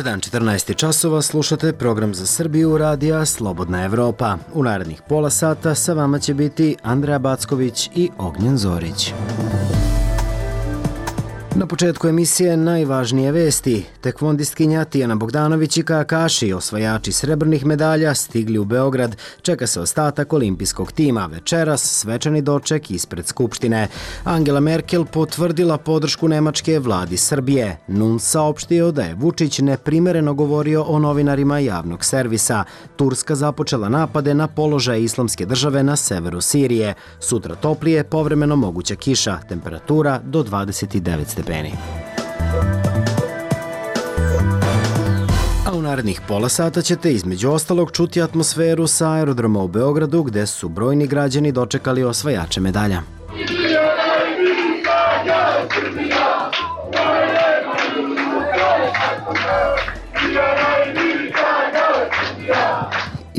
dan 14 časova, slušate program za Srbiju radija Slobodna Evropa. U narednih pola sata sa vama će biti Andreja Backović i Ognjen Zorić. Na početku emisije najvažnije vesti. Tekvondistkinja Tijana Bogdanović i kajakaši, osvajači srebrnih medalja, stigli u Beograd. Čeka se ostatak olimpijskog tima. Večeras svečani doček ispred Skupštine. Angela Merkel potvrdila podršku Nemačke vladi Srbije. NUNS saopštio da je Vučić neprimereno govorio o novinarima javnog servisa. Turska započela napade na položaj Islamske države na severu Sirije. Sutra toplije, povremeno moguća kiša. Temperatura do 29 stepeni. A u narednih pola sata ćete između ostalog čuti atmosferu sa aerodroma u Beogradu gde su brojni građani dočekali osvajače medalja.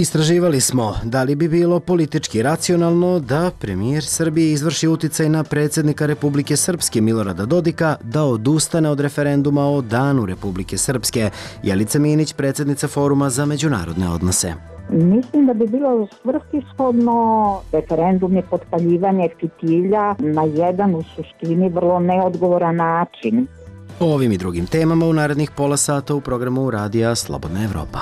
Istraživali smo da li bi bilo politički racionalno da premijer Srbije izvrši uticaj na predsjednika Republike Srpske Milorada Dodika da odustane od referenduma o Danu Republike Srpske. Jelica Minić, predsjednica Foruma za međunarodne odnose. Mislim da bi bilo svrsishodno referendum je potpaljivanje fitilja na jedan u suštini vrlo neodgovoran način. O ovim i drugim temama u narednih pola sata u programu radija Slobodna Evropa.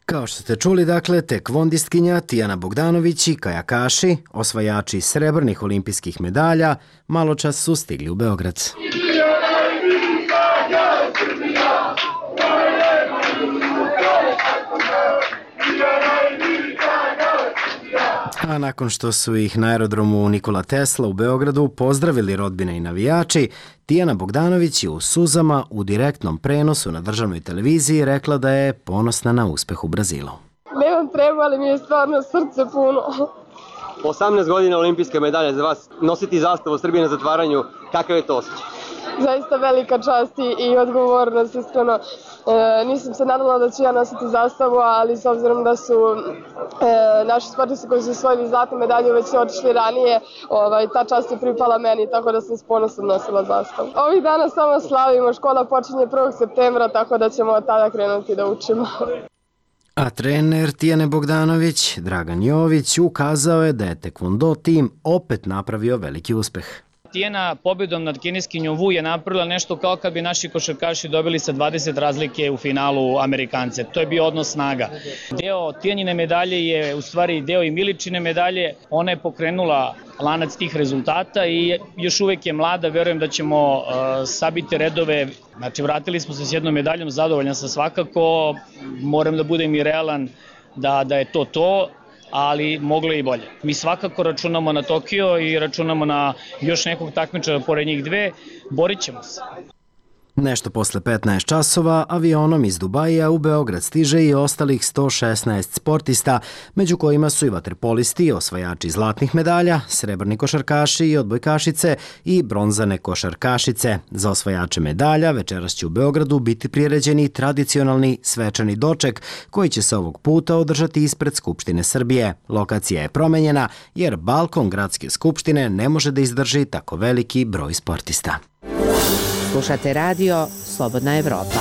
Kao što ste čuli, dakle, tekvondistkinja Tijana Bogdanović i kajakaši, osvajači srebrnih olimpijskih medalja, maločas su stigli u Beograd. A nakon što su ih na aerodromu Nikola Tesla u Beogradu pozdravili rodbine i navijači, Tijana Bogdanović je u suzama u direktnom prenosu na državnoj televiziji rekla da je ponosna na uspeh u Brazilu. Nemam treba, ali mi je stvarno srce puno. 18 godina olimpijske medalje za vas, nositi zastavu Srbije na zatvaranju, kakav je to osjećaj? Zaista velika čast i odgovornost, iskreno. Nisam se nadala da ću ja nositi zastavu, ali s obzirom da su naši sportisti koji su osvojili zlatnu medalju već otišli ranije, ta čast je pripala meni, tako da sam s ponosom nosila zastavu. Ovih dana samo slavimo, škola počinje 1. septembra, tako da ćemo od tada krenuti da učimo. A trener Tijane Bogdanović, Dragan Jović, ukazao je da je tekvondo tim opet napravio veliki uspeh. Tijana pobjedom nad kineskinjom Wu je napravila nešto kao kad bi naši košarkaši dobili sa 20 razlike u finalu Amerikance. To je bio odnos snaga. Deo Tijanine medalje je u stvari deo i Miličine medalje. Ona je pokrenula lanac tih rezultata i još uvek je mlada. Verujem da ćemo sabiti redove. Znači, vratili smo se s jednom medaljom, zadovoljan sam svakako. Moram da budem i realan da je to. Ali moglo je i bolje. Mi svakako računamo na Tokio i računamo na još nekog takmičara pored njih dve. Borit ćemo se. Nešto posle 15 časova avionom iz Dubaija u Beograd stiže i ostalih 116 sportista, među kojima su i vaterpolisti, osvajači zlatnih medalja, srebrni košarkaši i odbojkašice i bronzane košarkašice. Za osvajače medalja večeras će u Beogradu biti priređeni tradicionalni svečani doček koji će se ovog puta održati ispred Skupštine Srbije. Lokacija je promenjena jer balkon gradske skupštine ne može da izdrži tako veliki broj sportista. Slušate radio Slobodna Evropa.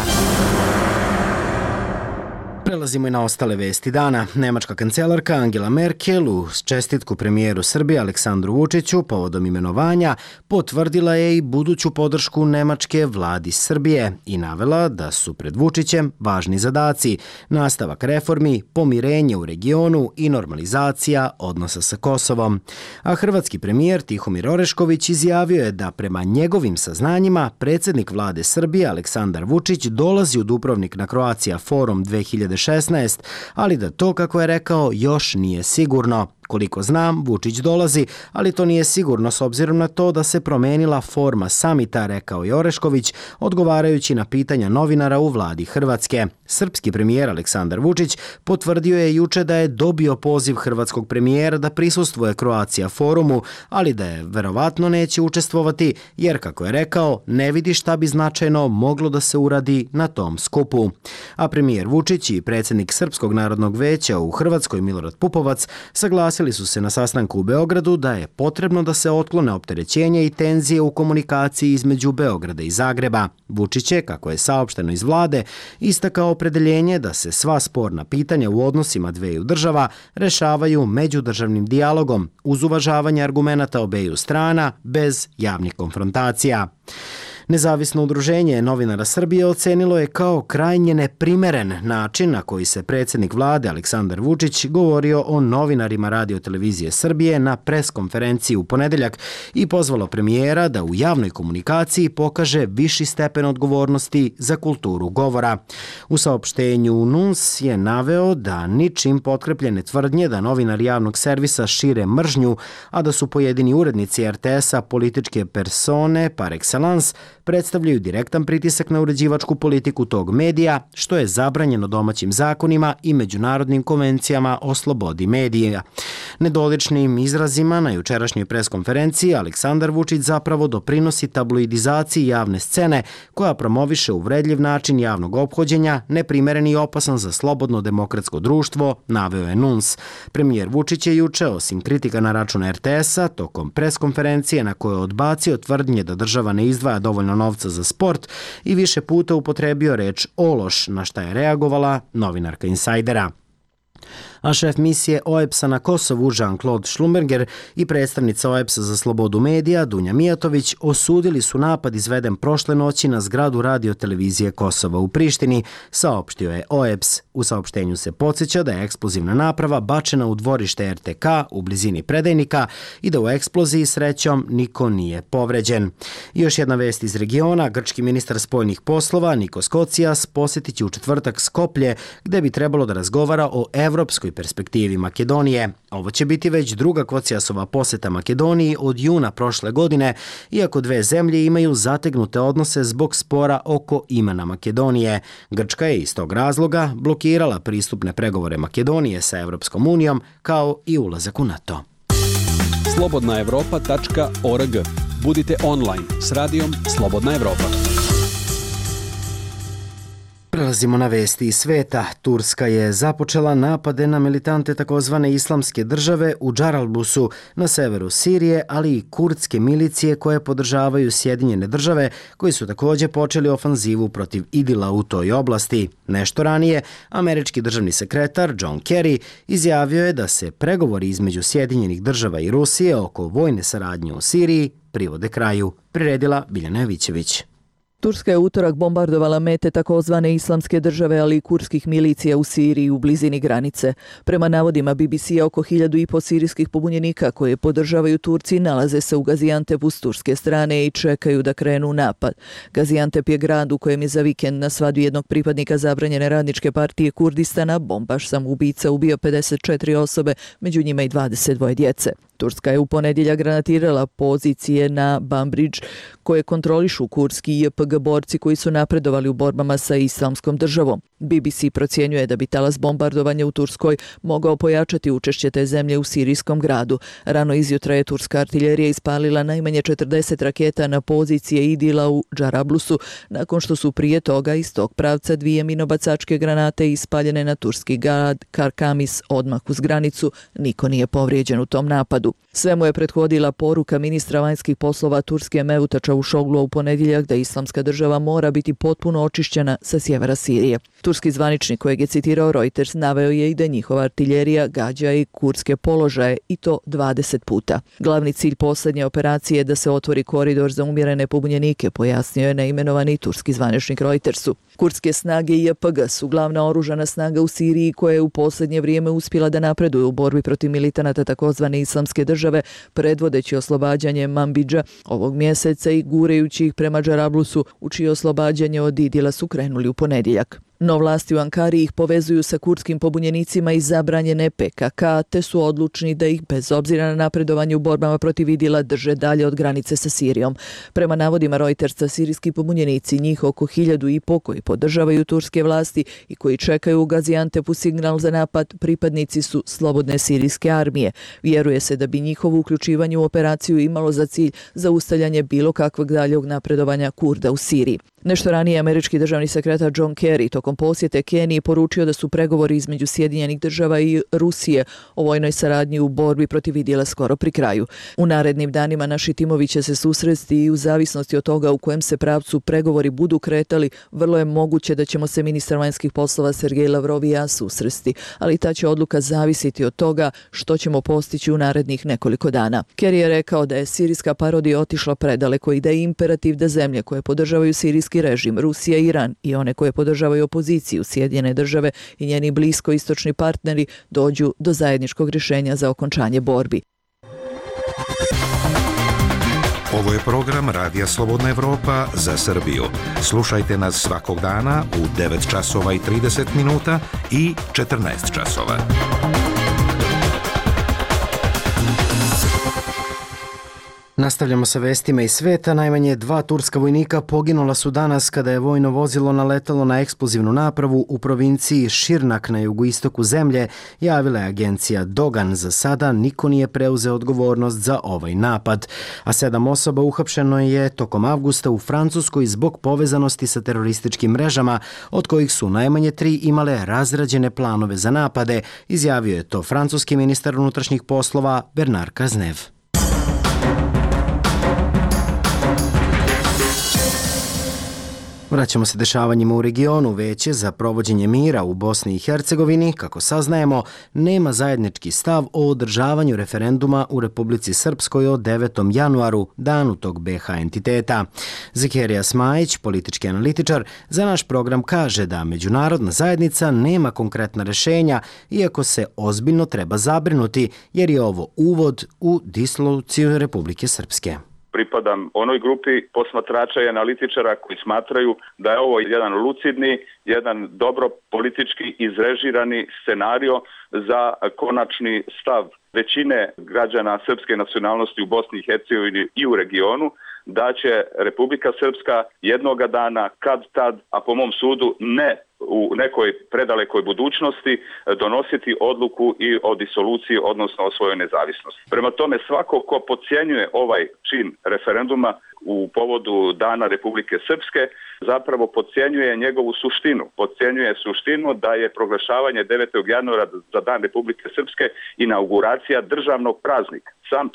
Prelazimo i na ostale vesti dana. Nemačka kancelarka Angela Merkel uz čestitku premijeru Srbije Aleksandru Vučiću povodom imenovanja potvrdila je i buduću podršku Nemačke vladi Srbije i navela da su pred Vučićem važni zadaci, nastavak reformi, pomirenje u regionu i normalizacija odnosa sa Kosovom. A hrvatski premijer Tihomir Orešković izjavio je da prema njegovim saznanjima predsjednik vlade Srbije Aleksandar Vučić dolazi u Dubrovnik na Croatia Forum 2016, ali da to, kako je rekao, još nije sigurno. Koliko znam, Vučić dolazi, ali to nije sigurno s obzirom na to da se promenila forma samita, rekao je Orešković, odgovarajući na pitanja novinara u vladi Hrvatske. Srpski premijer Aleksandar Vučić potvrdio je juče da je dobio poziv hrvatskog premijera da prisustvuje Croatia Forumu, ali da je verovatno neće učestvovati jer, kako je rekao, ne vidi šta bi značajno moglo da se uradi na tom skupu. A premijer Vučić i predsjednik Srpskog narodnog veća u Hrvatskoj Milorad Pupovac saglasili saglasili su se na sastanku u Beogradu da je potrebno da se otklone opterećenja i tenzije u komunikaciji između Beograda i Zagreba. Vučić je, kako je saopšteno iz vlade, istakao opredeljenje da se sva sporna pitanja u odnosima dveju država rešavaju međudržavnim dijalogom uz uvažavanje argumenata obeju strana bez javnih konfrontacija. Nezavisno udruženje novinara Srbije ocenilo je kao krajnje neprimeren način na koji se predsjednik vlade Aleksandar Vučić govorio o novinarima Radio-televizije Srbije na preskonferenciji u ponedeljak i pozvalo premijera da u javnoj komunikaciji pokaže viši stepen odgovornosti za kulturu govora. U saopštenju NUNS je naveo da ničim potkrepljene tvrdnje da novinari javnog servisa šire mržnju, a da su pojedini urednici RTS-a političke persone par excellence, predstavljaju direktan pritisak na uređivačku politiku tog medija, što je zabranjeno domaćim zakonima i međunarodnim konvencijama o slobodi medija. Nedoličnim izrazima na jučerašnjoj preskonferenciji Aleksandar Vučić zapravo doprinosi tabloidizaciji javne scene koja promoviše uvredljiv način javnog ophođenja, neprimeren i opasan za slobodno demokratsko društvo, naveo je NUNS. Premijer Vučić je juče, osim kritika na račun RTS-a, tokom preskonferencije na kojoj je odbacio tvrdnje da država ne izdvaja dovoljno novca za sport i više puta upotrebio reč ološ, na šta je reagovala novinarka Insajdera. A šef misije OEBS-a na Kosovu Jean-Claude Schlumberger i predstavnica OEBS-a za slobodu medija Dunja Mijatović osudili su napad izveden prošle noći na zgradu Radio-televizije Kosova u Prištini, saopštio je OEBS. U saopštenju se podsjeća da je eksplozivna naprava bačena u dvorište RTK u blizini Predajnika i da u eksploziji srećom niko nije povređen. I još jedna vest iz regiona, grčki ministar spoljnih poslova Nikos Kocias posjetit će u četvrtak Skoplje, gde bi trebalo da razgovara o evropskoj perspektivi Makedonije. Ovo će biti već druga Kociasova poseta Makedoniji od juna prošle godine, iako dve zemlje imaju zategnute odnose zbog spora oko imena Makedonije. Grčka je iz tog razloga blokirala pristupne pregovore Makedonije sa Evropskom unijom, kao i ulazak u NATO. slobodnaevropa.org. Budite online s radijom Slobodna Evropa. Prelazimo na vesti iz sveta. Turska je započela napade na militante takozvane islamske države u Džaralbusu na severu Sirije, ali i kurdske milicije koje podržavaju Sjedinjene države, koji su također počeli ofanzivu protiv Idila u toj oblasti. Nešto ranije, američki državni sekretar John Kerry izjavio je da se pregovori između Sjedinjenih država i Rusije oko vojne saradnje u Siriji privode kraju. Priredila Biljana Jovićević. Turska je utorak bombardovala mete takozvane islamske države, ali i kurdskih milicija u Siriji u blizini granice. Prema navodima BBC-a, oko 1.500 sirijskih pobunjenika koje podržavaju Turci nalaze se u Gaziantepu s turske strane i čekaju da krenu u napad. Gaziantep je grad u kojem je za vikend na svadbi jednog pripadnika zabranjene radničke partije Kurdistana bombaš samoubica ubio 54 osobe, među njima i 22 djece. Turska je u ponedjeljak granatirala pozicije na Bambridge koje kontrolišu kurdski JPG borci koji su napredovali u borbama sa islamskom državom. BBC procjenjuje da bi talas bombardovanja u Turskoj mogao pojačati učešće te zemlje u sirijskom gradu. Rano izjutra je turska artiljerija ispalila najmanje 40 raketa na pozicije Idila u Džarablusu, nakon što su prije toga iz tog pravca 2 minobacačke granate ispaljene na turski grad Karkamis odmah uz granicu. Niko nije povrijeđen u tom napadu. Svemu je prethodila poruka ministra vanjskih poslova Turske Mevluta Čavuşoglu u ponedjeljak da islamska država mora biti potpuno očišćena sa sjevera Sirije. Turski zvaničnik kojeg je citirao Reuters naveo je i da njihova artiljerija gađa i kurdske položaje i to 20 puta. Glavni cilj posljednje operacije je da se otvori koridor za umjerene pobunjenike, pojasnio je neimenovani turski zvaničnik Reutersu. Kurdske snage i JPG su glavna oružana snaga u Siriji koja je u posljednje vrijeme uspjela da napreduje u borbi protiv militanata takozvane islamske države, predvodeći oslobađanje Manbidža ovog mjeseca i gurejući ih prema Džarablusu, u čije oslobađanje od Idila su krenuli u ponedjeljak. No vlasti u Ankari ih povezuju sa kurdskim pobunjenicima iz zabranjene PKK, te su odlučni da ih bez obzira na napredovanje u borbama protiv Idila drže dalje od granice sa Sirijom. Prema navodima Reutersa, sirijski pobunjenici, njih oko 1.500 koji podržavaju turske vlasti i koji čekaju u Gaziantepu signal za napad, pripadnici su slobodne sirijske armije. Vjeruje se da bi njihovo uključivanje u operaciju imalo za cilj zaustavljanje bilo kakvog daljeg napredovanja Kurda u Siriji. Nešto ranije američki državni sekretar John Kerry tokom prilikom posjete Keniji poručio da su pregovori između Sjedinjenih država i Rusije o vojnoj saradnji u borbi protiv idila skoro pri kraju. U narednim danima naši timovi će se susresti i u zavisnosti od toga u kojem se pravcu pregovori budu kretali, vrlo je moguće da ćemo se ministar vanjskih poslova Sergej Lavrov i ja susresti, ali ta će odluka zavisiti od toga što ćemo postići u narednih nekoliko dana. Kerry je rekao da je sirijska parodija otišla predaleko i da je imperativ da zemlje koje podržavaju sirijski režim, Rusija i Iran, i one koje podržavaju opoziciju, Sjedinjene države i njeni bliskoistočni partneri dođu do zajedničkog rješenja za okončanje borbi. Ovo je program Radija Slobodna Evropa za Srbiju. Slušajte nas svakog dana u 9 časova i 30 minuta i 14 časova. Nastavljamo sa vestima iz sveta. Najmanje 2 turska vojnika poginula su danas kada je vojno vozilo naletalo na eksplozivnu napravu u provinciji Širnak na jugoistoku zemlje, javila je agencija Dogan. Za sada niko nije preuzeo odgovornost za ovaj napad. A 7 osoba uhapšeno je tokom avgusta u Francuskoj zbog povezanosti sa terorističkim mrežama, od kojih su najmanje 3 imale razrađene planove za napade, izjavio je to francuski ministar unutrašnjih poslova Bernard Cazeneuve. Vraćamo se dešavanjima u regionu. Veće za provođenje mira u Bosni i Hercegovini, kako saznajemo, nema zajednički stav o održavanju referenduma u Republici Srpskoj o 9. januaru, danu tog BH entiteta. Zekerija Smajić, politički analitičar, za naš program kaže da međunarodna zajednica nema konkretna rješenja, iako se ozbiljno treba zabrinuti, jer je ovo uvod u disoluciju Republike Srpske. Pripadam onoj grupi posmatrača i analitičara koji smatraju da je ovo jedan lucidni, jedan dobro politički izrežirani scenario za konačni stav većine građana srpske nacionalnosti u Bosni i Hercegovini i u regionu, da će Republika Srpska jednoga dana, kad tad, a po mom sudu ne u nekoj predalekoj budućnosti, donositi odluku i o disoluciji, odnosno o svojoj nezavisnosti. Prema tome, svako ko podcjenjuje ovaj čin referenduma u povodu Dana Republike Srpske, zapravo podcjenjuje njegovu suštinu. Podcjenjuje suštinu da je proglašavanje 9. januara za Dan Republike Srpske inauguracija državnog praznika. Sam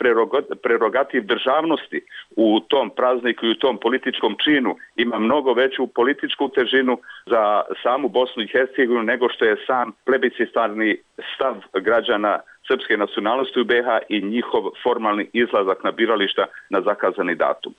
prerogativ državnosti u tom prazniku i u tom političkom činu ima mnogo veću političku težinu za samu Bosnu i Hercegovinu nego što je sam plebiscitarni stav građana srpske nacionalnosti u BiH i njihov formalni izlazak na birališta na zakazani datum.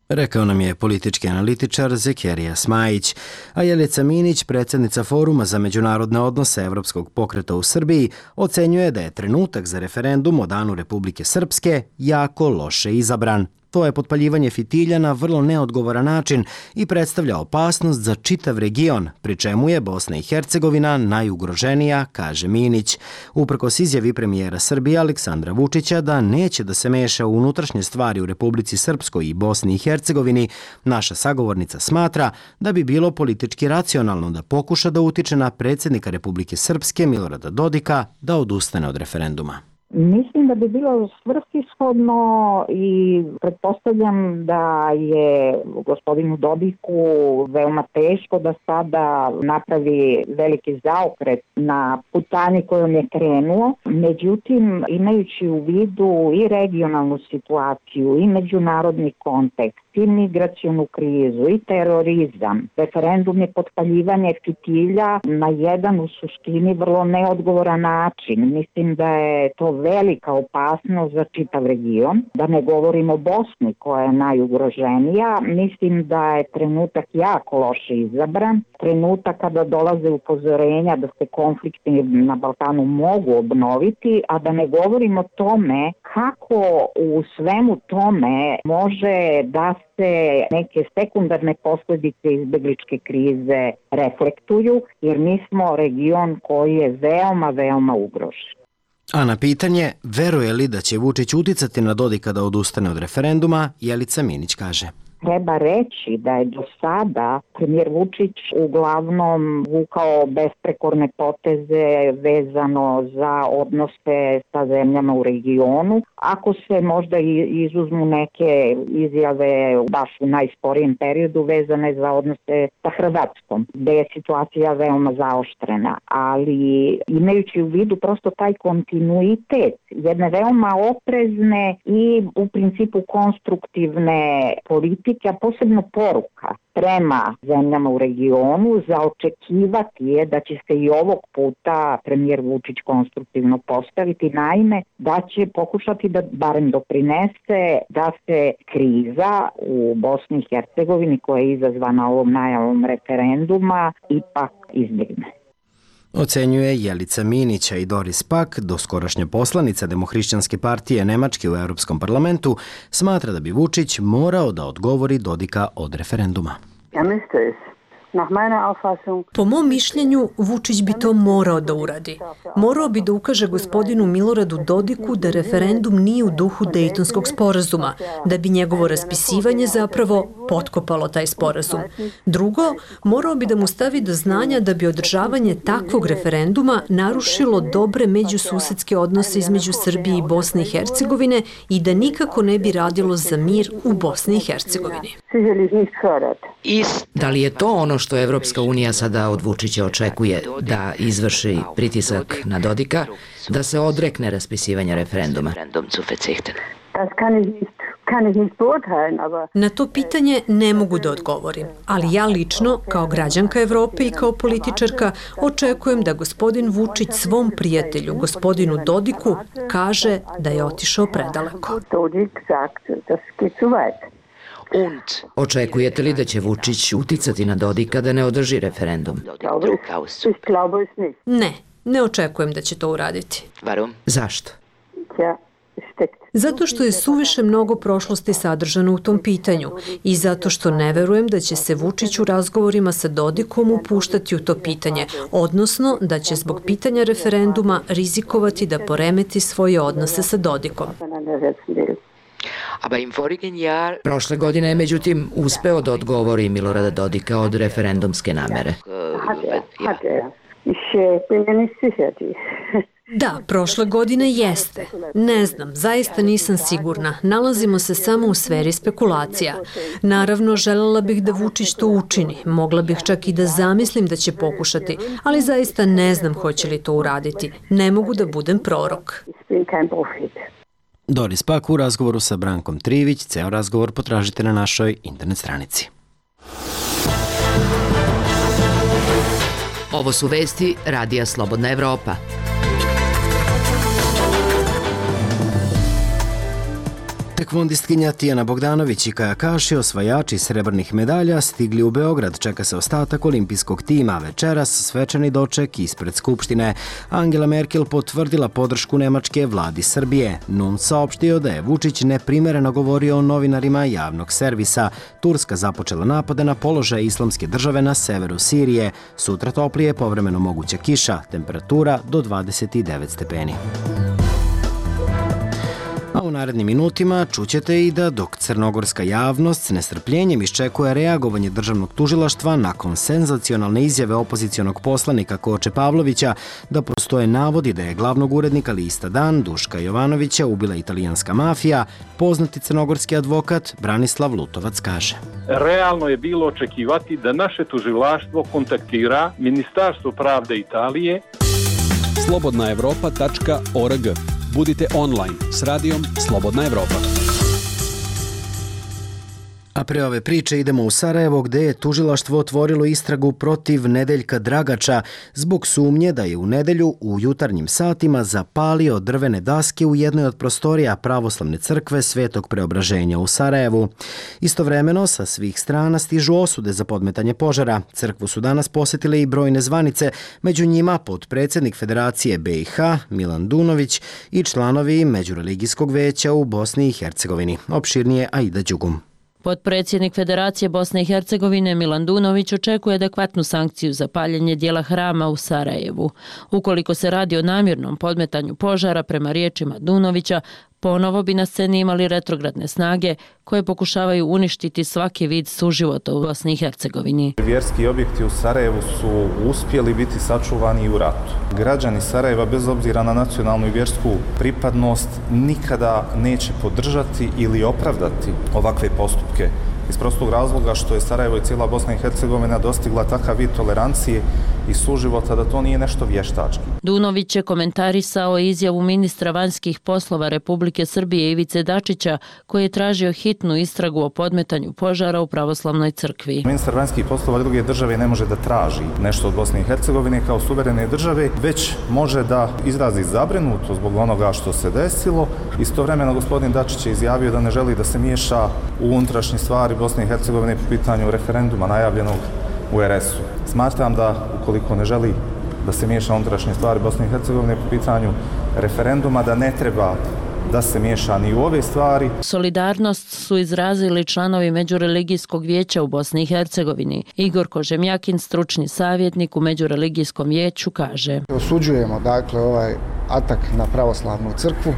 Rekao nam je politički analitičar Zekerija Smajić, a Jelica Minić, predsjednica Foruma za međunarodne odnose Evropskog pokreta u Srbiji, ocenjuje da je trenutak za referendum o Danu Republike Srpske jako loše izabran. To je potpaljivanje fitilja na vrlo neodgovoran način i predstavlja opasnost za čitav region, pri čemu je Bosna i Hercegovina najugroženija, kaže Minić. Uprkos izjavi premijera Srbije Aleksandra Vučića da neće da se meša u unutrašnje stvari u Republici Srpskoj i Bosni i Hercegovini, naša sagovornica smatra da bi bilo politički racionalno da pokuša da utiče na predsjednika Republike Srpske Milorada Dodika da odustane od referenduma. Mislim da bi bilo svrsishodno i pretpostavljam da je gospodinu Dodiku veoma teško da sada napravi veliki zaokret na putanji kojom je krenuo. Međutim, imajući u vidu i regionalnu situaciju i međunarodni kontekst, i migracionu krizu i terorizam, referendum je potpaljivanje fitilja na jedan u suštini vrlo neodgovoran način. Mislim da je to velika opasnost za čitav region. Da ne govorimo o Bosni koja je najugroženija. Mislim da je trenutak jako loše izabran. Trenutak kada dolaze upozorenja da se konflikti na Balkanu mogu obnoviti, a da ne govorimo o tome kako u svemu tome može da se neke sekundarne posljedice izbegličke krize reflektuju, jer mi smo region koji je veoma, veoma ugrožen. A na pitanje, veruje li da će Vučić uticati na Dodika da odustane od referenduma, Jelica Minić kaže. treba reći da je do sada premijer Vučić uglavnom vukao besprekorne poteze vezano za odnose sa zemljama u regionu. Ako se možda izuzmu neke izjave baš u najsporijem periodu vezane za odnose sa Hrvatskom, gde je situacija veoma zaoštrena, ali imajući u vidu prosto taj kontinuitet jedne veoma oprezne i u principu konstruktivne politike, a posebno poruka prema zemljama u regionu, za očekivati je da će se i ovog puta premijer Vučić konstruktivno postaviti, naime da će pokušati da barem doprinese da se kriza u Bosni i Hercegovini koja je izazvana ovom najavom referenduma ipak izbjegne. Ocenjuje Jelica Minića i Doris Pak, doskorašnja poslanica Demohrišćanske partije Nemačke u Europskom parlamentu, smatra da bi Vučić morao da odgovori Dodika od referenduma. Po mom mišljenju, Vučić bi to morao da uradi. Morao bi da ukaže gospodinu Miloradu Dodiku da referendum nije u duhu Dejtonskog sporazuma, da bi njegovo raspisivanje zapravo potkopalo taj sporazum. Drugo, morao bi da mu stavi do znanja da bi održavanje takvog referenduma narušilo dobre međususedske odnose između Srbije i Bosne i Hercegovine i da nikako ne bi radilo za mir u Bosni i Hercegovini. Da li je to ono što Evropska unija sada od Vučića očekuje, da izvrši pritisak na Dodika, da se odrekne raspisivanja referenduma? Na to pitanje ne mogu da odgovorim, ali ja lično, kao građanka Evrope i kao političarka, očekujem da gospodin Vučić svom prijatelju, gospodinu Dodiku, kaže da je otišao predaleko. Očekujete li da će Vučić uticati na Dodika da ne održi referendum? Ne očekujem da će to uraditi. Zašto? Zato što je suviše mnogo prošlosti sadržano u tom pitanju i zato što ne verujem da će se Vučić u razgovorima sa Dodikom upuštati u to pitanje, odnosno da će zbog pitanja referenduma rizikovati da poremeti svoje odnose sa Dodikom. Prošle godine je međutim uspeo da odgovori Milorada Dodika od referendumske namere. Da, prošle godine jeste. Ne znam, zaista nisam sigurna. Nalazimo se samo u sferi spekulacija. Naravno, želela bih da Vučić to učini. Mogla bih čak i da zamislim da će pokušati, ali zaista ne znam hoće li to uraditi. Ne mogu da budem prorok. Doris Pak u razgovoru sa Brankom Trivić. Ceo razgovor potražite na našoj internet stranici. Ovo su vesti Radija Slobodna Evropa. Tekvondistkinja Tijana Bogdanović i kajakaši, osvajači srebrnih medalja, stigli u Beograd. Čeka se ostatak olimpijskog tima. Večeras svečani doček ispred Skupštine. Angela Merkel potvrdila podršku Nemačke vladi Srbije. NUN saopštio da je Vučić neprimereno govorio o novinarima javnog servisa. Turska započela napade na položaj Islamske države na severu Sirije. Sutra toplije, povremeno moguća kiša. Temperatura do 29 stepeni. A u narednim minutima čućete i da dok crnogorska javnost s nestrpljenjem iščekuje reagovanje državnog tužilaštva nakon senzacionalne izjave opozicionog poslanika Koče Pavlovića da postoje navodi da je glavnog urednika lista Dan Duška Jovanovića ubila italijanska mafija, poznati crnogorski advokat Branislav Lutovac kaže: Realno je bilo očekivati da naše tužilaštvo kontaktira Ministarstvo pravde Italije. slobodnaevropa.org. Budite online s radijom Slobodna Evropa. A pre ove priče idemo u Sarajevo gde je tužilaštvo otvorilo istragu protiv Nedeljka Dragača zbog sumnje da je u nedelju u jutarnjim satima zapalio drvene daske u jednoj od prostorija Pravoslavne crkve Svetog Preobraženja u Sarajevu. Istovremeno sa svih strana stižu osude za podmetanje požara. Crkvu su danas posjetile i brojne zvanice, među njima potpredsjednik Federacije BiH Milan Dunović i članovi Međureligijskog veća u Bosni i Hercegovini. Opširnije Aida Đugum. Potpredsjednik Federacije Bosne i Hercegovine Milan Dunović očekuje adekvatnu sankciju za paljenje dijela hrama u Sarajevu. Ukoliko se radi o namjernom podmetanju požara, prema riječima Dunovića, Ponovo bi na sceni imali retrogradne snage koje pokušavaju uništiti svaki vid suživota u Bosni i Hercegovini. Vjerski objekti u Sarajevu su uspjeli biti sačuvani i u ratu. Građani Sarajeva, bez obzira na nacionalnu i vjersku pripadnost, nikada neće podržati ili opravdati ovakve postupke. Iz prostog razloga što je Sarajevo i cijela Bosna i Hercegovina dostigla takav vid tolerancije i suživota da to nije nešto vještački. Dunović je komentarisao izjavu ministra vanjskih poslova Republike Srbije Ivice Dačića, koji je tražio hitnu istragu o podmetanju požara u pravoslavnoj crkvi. Ministar vanjskih poslova druge države ne može da traži nešto od Bosne i Hercegovine kao suverene države, već može da izrazi zabrinutost zbog onoga što se desilo. Istovremeno gospodin Dačić je izjavio da ne želi da se miješa u unutrašnje stvari Bosne i Hercegovine po pitanju referenduma najavljenog u RS-u. Smatram da ukoliko ne želi da se miješa unutrašnje stvari Bosne i Hercegovine po pitanju referenduma, da ne treba da se miješa ni u ove stvari. Solidarnost su izrazili članovi Međureligijskog vijeća u Bosni i Hercegovini. Igor Kožemjakin, stručni savjetnik u Međureligijskom vijeću, kaže: Osuđujemo dakle ovaj atak na pravoslavnu crkvu,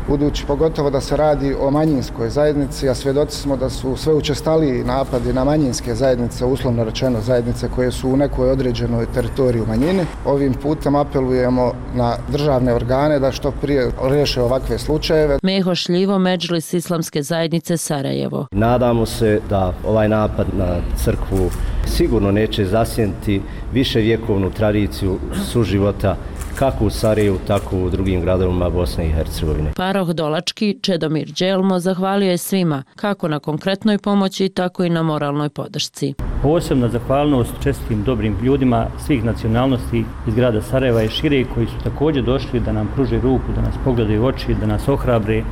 budući pogotovo da se radi o manjinskoj zajednici, a svjedoci smo da su sve učestaliji napadi na manjinske zajednice, uslovno rečeno zajednice koje su u nekoj određenoj teritoriju manjine. Ovim putem apelujemo na državne organe da što prije riješe ovakve slučajeve. Meho Šljivo, Medžlis Islamske zajednice Sarajevo. Nadamo se da ovaj napad na crkvu sigurno neće zasjeniti viševjekovnu tradiciju suživota kako u Sarajevu, tako u drugim gradovima Bosne i Hercegovine. Paroh Dolački, Čedomir Đelmo, zahvalio je svima, kako na konkretnoj pomoći, tako i na moralnoj podršci. Posebna zahvalnost čestitim dobrim ljudima svih nacionalnosti iz grada Sarajeva i šire, koji su također došli da nam pruže ruku, da nas pogledaju u oči, da nas ohrabre,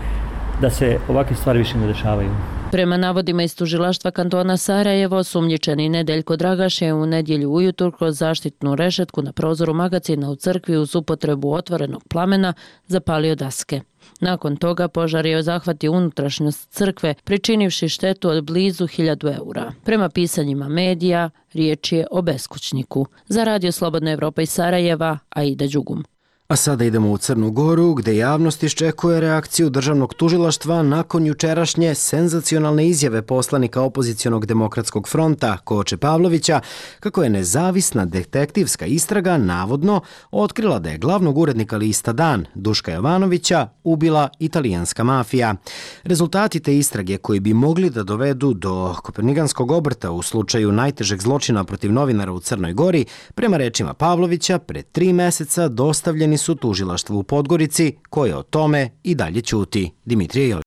da se ovakve stvari više ne dešavaju. Prema navodima iz tužilaštva kantona Sarajevo, osumnjičeni Nedeljko Dragaš je u nedjelju ujutro kroz zaštitnu rešetku na prozoru magacina u crkvi uz upotrebu otvorenog plamena zapalio daske. Nakon toga požar je zahvatio unutrašnjost crkve, pričinivši štetu od blizu 1000 eura. Prema pisanjima medija, riječ je o beskućniku. Za Radio Slobodna Evropa iz Sarajeva, Aida Đugum. A sada idemo u Crnu Goru, gde javnost iščekuje reakciju državnog tužilaštva nakon jučerašnje senzacionalne izjave poslanika opozicionog demokratskog fronta Koče Pavlovića, kako je nezavisna detektivska istraga navodno otkrila da je glavnog urednika lista Dan, Duška Jovanovića, ubila italijanska mafija. Rezultati te istrage, koji bi mogli da dovedu do kopernikanskog obrta u slučaju najtežeg zločina protiv novinara u Crnoj Gori, prema rečima Pavlovića, pred 3 meseca dostavljeni su tužilaštvu u Podgorici, koje o tome i dalje ćuti. Dimitrije Jović.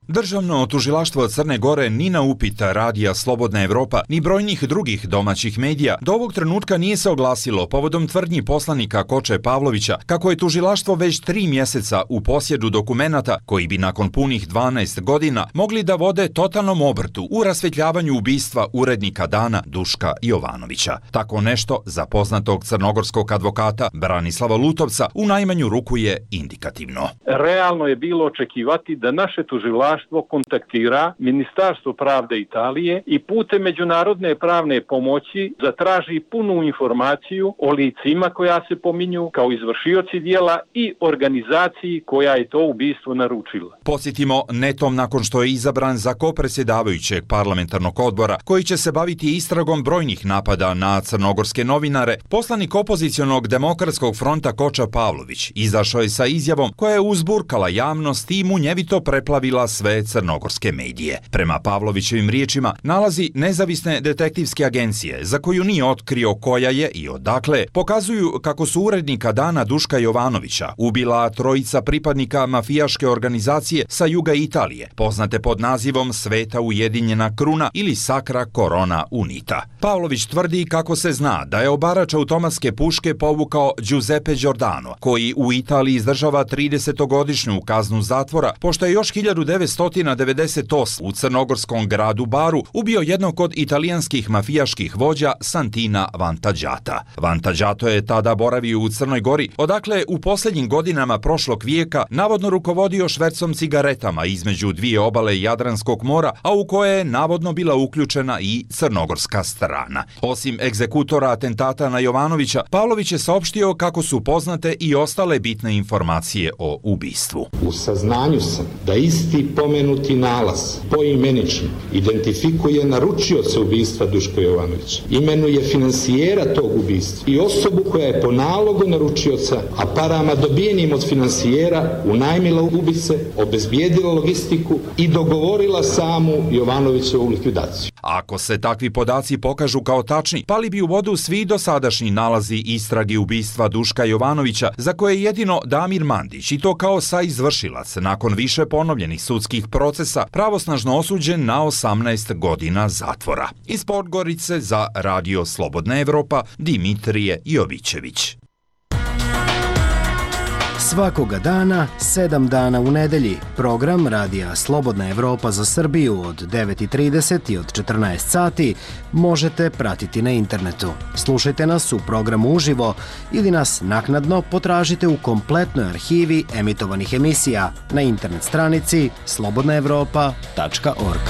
Državno tužilaštvo Crne Gore ni na upita Radija Slobodna Evropa ni brojnih drugih domaćih medija do ovog trenutka nije se oglasilo povodom tvrdnji poslanika Koče Pavlovića kako je tužilaštvo već 3 mjeseca u posjedu dokumenata koji bi nakon punih 12 godina mogli da vode totalnom obrtu u rasvetljavanju ubistva urednika Dana Duška Jovanovića. Tako nešto za poznatog crnogorskog advokata Branislava Lutovca u najmanju ruku je indikativno. Realno je bilo očekivati da naše tužilaštvo kontaktira Ministarstvo pravde Italije i putem međunarodne pravne pomoći zatraži punu informaciju o licima koja se pominju kao izvršioci dijela i organizaciji koja je to ubistvo naručila. Podsjetimo, netom nakon što je izabran za kopredsjedavajućeg parlamentarnog odbora koji će se baviti istragom brojnih napada na crnogorske novinare, poslanik opozicionog demokratskog fronta Koča Pavlović izašao je sa izjavom koja je uzburkala javnost i munjevito preplavila sve crnogorske medije. Prema Pavlovićevim riječima, nalazi nezavisne detektivske agencije, za koju nije otkrio koja je i odakle, pokazuju kako su urednika Dana Duška Jovanovića ubila 3 pripadnika mafijaške organizacije sa juga Italije, poznate pod nazivom Sveta Ujedinjena Kruna ili Sacra Corona Unita. Pavlović tvrdi kako se zna da je obarač automatske puške povukao Giuseppe Giordano, koji u Italiji izdržava 30-godišnju kaznu zatvora, pošto je još 1900 1998. u crnogorskom gradu Baru ubio jednog od italijanskih mafijaških vođa Santina Vantađata. Vantađato je tada boravio u Crnoj Gori, odakle u posljednjim godinama prošlog vijeka navodno rukovodio švercom cigaretama između dvije obale Jadranskog mora, a u koje je navodno bila uključena i crnogorska strana. Osim egzekutora atentata na Jovanovića, Pavlović je saopštio kako su poznate i ostale bitne informacije o ubistvu. U saznanju sam da isti pomenuti nalaz poimenično identifikuje naručioca ubistva Duška Jovanovića, imenuje finansijera tog ubistva i osobu koja je po nalogu naručioca, a parama dobijenim od finansijera unajmila ubice, obezbijedila logistiku i dogovorila samu Jovanovićevu likvidaciju. Ako se takvi podaci pokažu kao tačni, pali bi u vodu svi dosadašnji nalazi istrage ubistva Duška Jovanovića, za koje je jedino Damir Mandić, i to kao saizvršilac, nakon više ponovljenih sudskih procesa, pravosnažno osuđen na 18 godina zatvora. Iz Podgorice za Radio Slobodna Evropa, Dimitrije Jovićević. Svakoga dana, 7 dana u nedelji, program Radija Slobodna Evropa za Srbiju od 9:30 i od 14 sati možete pratiti na internetu. Slušajte nas u programu uživo ili nas naknadno potražite u kompletnoj arhivi emitovanih emisija na internet stranici slobodnaevropa.org.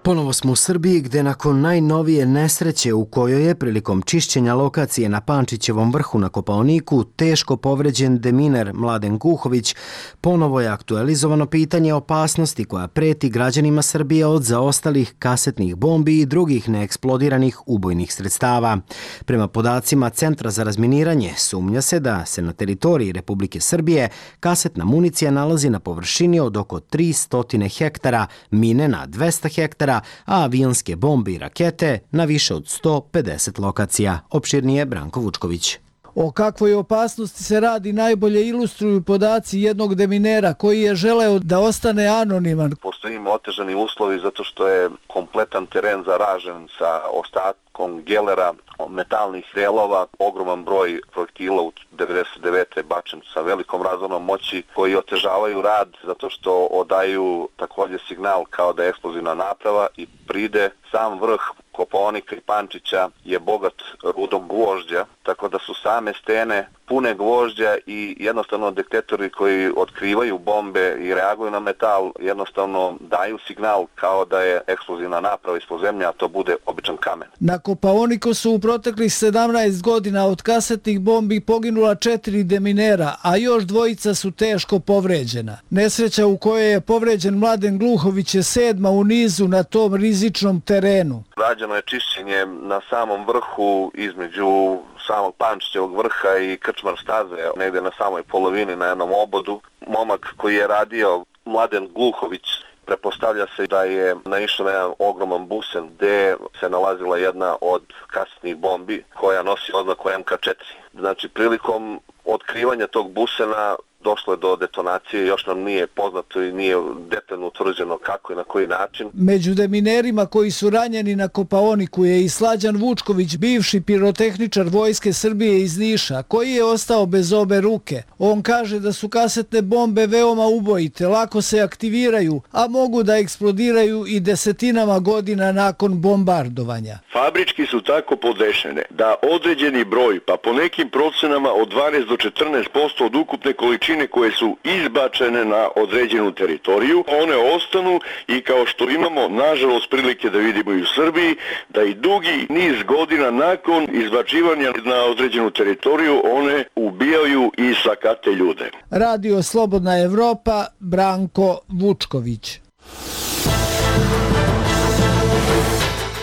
Ponovo smo u Srbiji gde nakon najnovije nesreće u kojoj je prilikom čišćenja lokacije na Pančićevom vrhu na Kopaoniku teško povređen deminer Mladen Guhović, ponovo je aktualizovano pitanje opasnosti koja preti građanima Srbije od zaostalih kasetnih bombi i drugih neeksplodiranih ubojnih sredstava. Prema podacima Centra za razminiranje, sumnja se da se na teritoriji Republike Srbije kasetna municija nalazi na površini od oko 300 hektara, mine na 200 hektara, a avionske bombe i rakete na više od 150 lokacija. Opširnije Branko Vučković. O kakvoj opasnosti se radi najbolje ilustruju podaci jednog deminera koji je želeo da ostane anoniman. Postoji otežani uslovi zato što je kompletan teren zaražen sa ostatkom gelera, metalnih delova, ogroman broj projektila u 99. bačen sa velikom razornom moći koji otežavaju rad zato što odaju također signal kao da je eksplozivna naprava i pride sam vrh Kopaonika i Pančića je bogat rudom gvožđa, tako da su same stene pune gvožđa i jednostavno detektori koji otkrivaju bombe i reaguju na metal jednostavno daju signal kao da je eksplozivna naprava ispod zemlje, a to bude običan kamen. Na Kopaoniku su u proteklih 17 godina od kasetnih bombi poginula 4 deminera, a još 2 su teško povređena. Nesreća u kojoj je povređen Mladen Gluhović je 7. u nizu na tom rizičnom terenu. Rađeno je čišćenje na samom vrhu između samog Pančićevog vrha i Krčmar staze, negdje na samoj polovini na jednom obodu. Momak koji je radio, Mladen Gluhović, prepostavlja se da je naišao na jedan ogroman busen gdje se nalazila jedna od kasetnih bombi koja nosi oznaku MK4. Znači, prilikom otkrivanja tog busena došlo je do detonacije, još nam nije poznato i nije detaljno utvrđeno kako i na koji način. Među deminerima koji su ranjeni na Kopaoniku je i Slađan Vučković, bivši pirotehničar Vojske Srbije iz Niša, koji je ostao bez obe ruke. On kaže da su kasetne bombe veoma ubojite, lako se aktiviraju, a mogu da eksplodiraju i desetinama godina nakon bombardovanja. Fabrički su tako podešene da određeni broj, pa po nekim procenama od 12 do 14% od ukupne količine koje su izbačene na određenu teritoriju, one ostanu i kao što imamo nažalost prilike da vidimo i u Srbiji, da i dugi niz godina nakon izbačivanja na određenu teritoriju one ubijaju i sakate ljude. Radio Slobodna Evropa, Branko Vučković.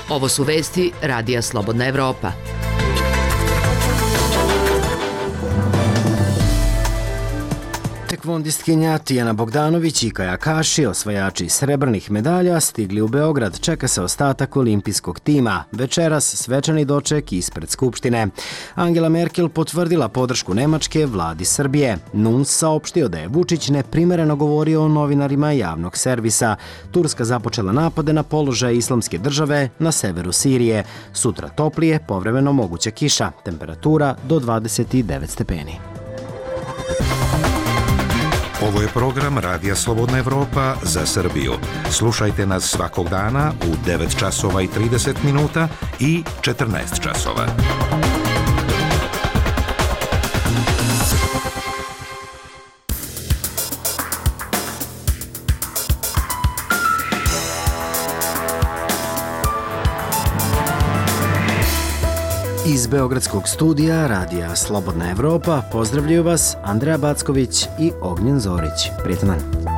Ovo su vesti Radija Slobodna Evropa. Tekvondistkinja Tijana Bogdanović i kajakaši, osvajači srebrnih medalja, stigli u Beograd. Čeka se ostatak olimpijskog tima. Večeras svečani doček ispred Skupštine. Angela Merkel potvrdila podršku Nemačke vladi Srbije. Nuns saopštio da je Vučić neprimereno govorio o novinarima javnog servisa. Turska započela napade na položaj Islamske države na severu Sirije. Sutra toplije, povremeno moguća kiša. Temperatura do 29 stepeni. Ovo je program Radija Slobodna Evropa za Srbiju. Slušajte nas svakog dana u 9 časova i 30 minuta i 14 časova. Iz Beogradskog studija Radija Slobodna Evropa pozdravljaju vas Andreja Backović i Ognjen Zorić. Prijetan dan.